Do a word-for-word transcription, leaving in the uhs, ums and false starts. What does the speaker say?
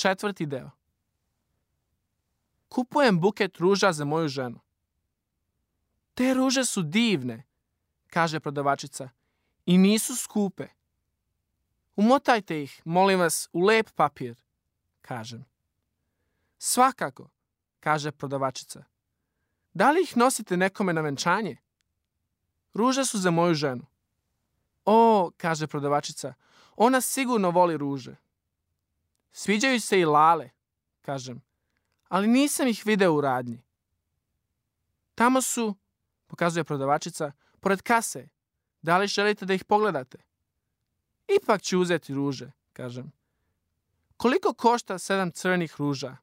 Četvrti deo. Kupujem buket ruža za moju ženu. Te ruže su divne, kaže prodavačica, i nisu skupe. Umotajte ih, molim vas, u lep papir, kažem. Svakako, kaže prodavačica. Da li ih nosite nekome na venčanje? Ruže su za moju ženu. O, kaže prodavačica, ona sigurno voli ruže. Sviđaju se i lale, kažem, ali nisam ih video u radnji. Tamo su, pokazuje prodavačica, pored kase. Da li želite da ih pogledate? Ipak ću uzeti ruže, kažem. Koliko košta sedam crnih ruža?